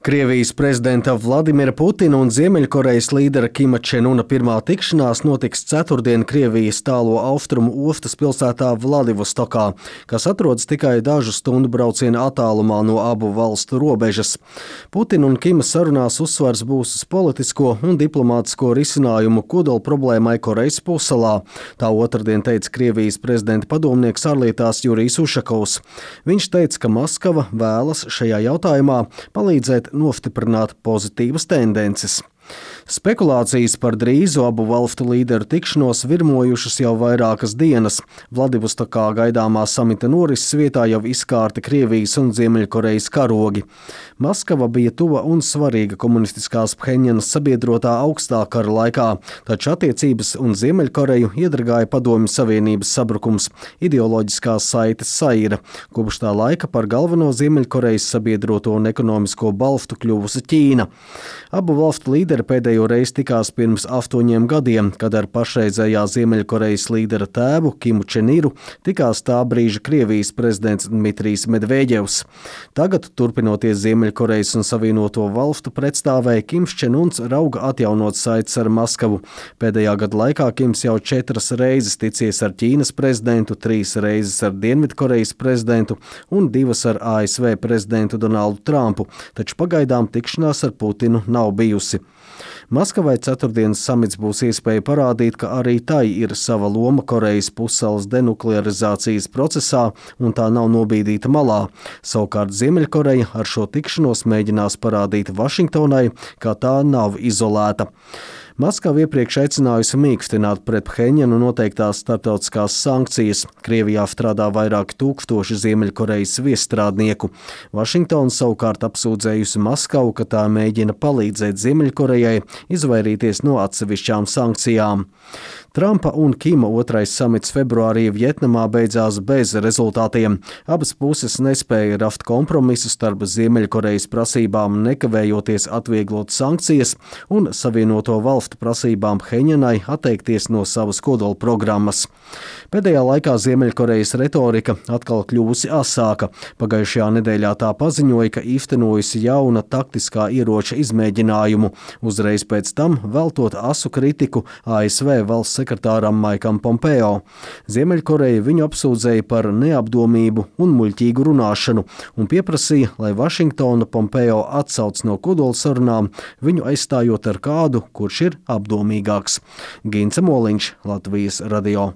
Krievijas prezidenta Vladimira Putina un Ziemeļkorejas līdera Kima Čen Una pirmā tikšanās notiks ceturtdien Krievijas tālo austrumu ostas pilsētā Vladivostokā, kas atrodas tikai dažu stundu brauciena attālumā no abu valstu robežas. Putina un Kima sarunās uzsvars būs uz politisko un diplomātisko risinājumu kodola problēmai Korejas pussalā. Tā otrdien teica Krievijas prezidenta padomnieks ārlietās Jurijs Ušakovs. Viņš teica, ka Maskava vēlas šajā jautājumā palīdzēt nostiprināt pozitīvas tendences. Spekulācijas par drīzu abu valstu līderu tikšanos virmojušas jau vairākas dienas. Vladivostokā gaidāmā samita norises vietā jau izkārti Krievijas un Ziemeļkorejas karogi. Maskava bija tuva un svarīga komunistiskās Pheņjanas sabiedrotā augstā kara laikā, taču attiecības un Ziemeļkoreju iedragāja Padomju Savienības sabrukums, ideoloģiskās saites saira. Kopš tā laika par galveno Ziemeļkorejas sabiedroto un ekonomisko balstu kļuvusi Ķīna. Abu valstu līderi pēdējo reizi tikās pirms 8 gadiem, kad ar pašreizējā Ziemeļkorejas līdera tēvu Kimu Čen Iru tikās tā brīža Krievijas prezidents Dmitrijs Medveģevs. Tagad, turpinoties Ziemeļkorejas un Savienoto valstu pretstāvēja, Kims Čen Uns rauga atjaunot saites ar Maskavu. Pēdējā gada laikā Kims jau 4 reizes ticies ar Ķīnas prezidentu, 3 reizes ar Dienvidkorejas prezidentu un 2 ar ASV prezidentu Donaldu Trumpu, taču pagaidām tikšanās ar Putinu nav bijusi. Maskavai ceturtdienas samits būs iespēja parādīt, ka arī tai ir sava loma Korejas pussalas denuklearizācijas procesā un tā nav nobīdīta malā. Savukārt Ziemeļkoreja ar šo tikšanos mēģinās parādīt Vašingtonai, ka tā nav izolēta. Maskava iepriekš aicinājusi mīkstināt pret Pheņjanu noteiktās starptautiskās sankcijas. Krievijā strādā vairāki tūkstoši Ziemeļkorejas viesstrādnieku. Vašingtona savukārt apsūdzējusi Maskavu, ka tā mēģina palīdzēt Ziemeļkorejai izvairīties no atsevišķām sankcijām. Trumpa un Kima otrais samits februārī Vjetnamā beidzās bez rezultātiem. Abas puses nespēja rast kompromisu starp Ziemeļkorejas prasībām nekavējoties atvieglot sankcijas un Savienoto valstu prasībām Pheņjanai atteikties no savas kodola programmas. Pēdējā laikā Ziemeļkorejas retorika atkal kļuvusi asāka. Pagājušajā nedēļā tā paziņoja, ka īstenojusi jauna taktiskā ieroča izmēģinājumu, uzreiz pēc tam veltot asu kritiku ASV valsts sekretāram Maikam Pompeo. Ziemeļkoreja viņu apsūdzēja par neapdomību un muļķīgu runāšanu un pieprasīja, lai Vašingtona Pompeo atsauc no kodola sarunām, viņu aizstājot ar kādu, kurš ir apdomīgāks. Gince Moliņš, Latvijas radio.